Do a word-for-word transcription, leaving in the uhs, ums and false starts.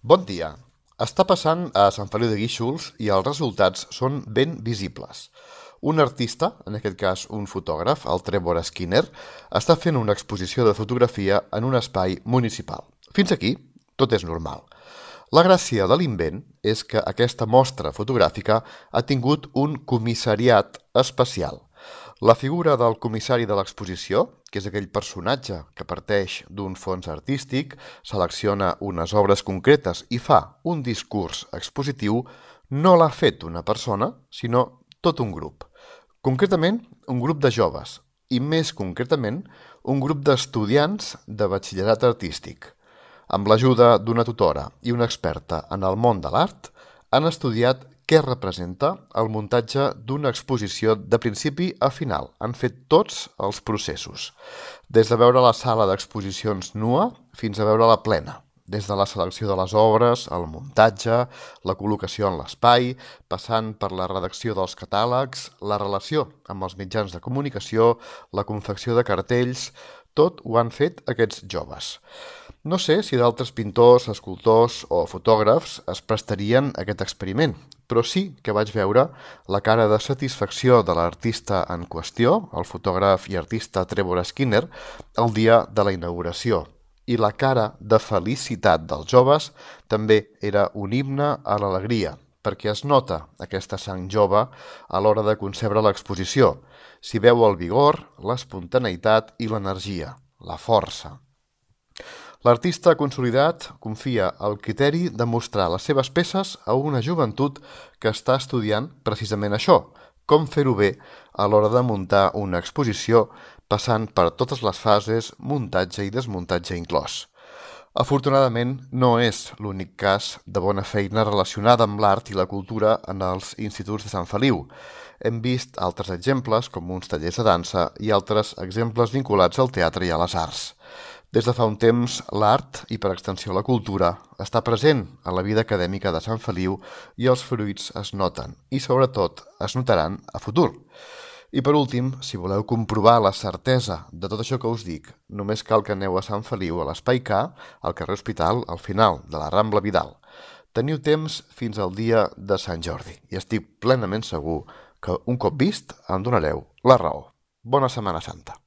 Bon dia. Està passant a Sant Feliu de Guíxols i els resultats són ben visibles. Un artista, en aquest cas un fotògraf, el Trevor Skinner, està fent una exposició de fotografia en un espai municipal. Fins aquí, tot és normal. La gràcia de l'invent és que aquesta mostra fotogràfica ha tingut un comissariat especial. La figura del comissari de l'exposició, que és aquell personatge que parteix d'un fons artístic, selecciona unes obres concretes i fa un discurs expositiu, no l'ha fet una persona, sinó tot un grup. Concretament, un grup de joves, i més concretament, un grup d'estudiants de batxillerat artístic. Amb l'ajuda d'una tutora i una experta en el món de l'art, han estudiat què representa el muntatge d'una exposició de principi a final. Han fet tots els processos, des de veure la sala d'exposicions nua fins a veure la plena, des de la selecció de les obres, el muntatge, la col·locació en l'espai, passant per la redacció dels catàlegs, la relació amb els mitjans de comunicació, la confecció de cartells. Tot ho han fet aquests joves. No sé si d'altres pintors, escultors o fotògrafs es prestarien a aquest experiment, però sí que vaig veure la cara de satisfacció de l'artista en qüestió, el fotògraf i artista Trevor Skinner, el dia de la inauguració. I la cara de felicitat dels joves també era un himne a l'alegria, perquè es nota aquesta sang jove a l'hora de concebre l'exposició. S'hi veu el vigor, l'espontaneïtat i l'energia, la força. L'artista consolidat confia el criteri de mostrar les seves peces a una joventut que està estudiant precisament això, com fer-ho bé a l'hora de muntar una exposició passant per totes les fases, muntatge i desmuntatge inclòs. Afortunadament, no és l'únic cas de bona feina relacionada amb l'art i la cultura en els instituts de Sant Feliu. Hem vist altres exemples, com uns tallers de dansa, i altres exemples vinculats al teatre i a les arts. Des de fa un temps, l'art, i per extensió la cultura, està present a la vida acadèmica de Sant Feliu i els fruits es noten, i sobretot es notaran a futur. I per últim, si voleu comprovar la certesa de tot això que us dic, només cal que aneu a Sant Feliu, a l'Espai K, al carrer Hospital, al final de la Rambla Vidal. Teniu temps fins al dia de Sant Jordi i estic plenament segur que un cop vist em donareu la raó. Bona Setmana Santa.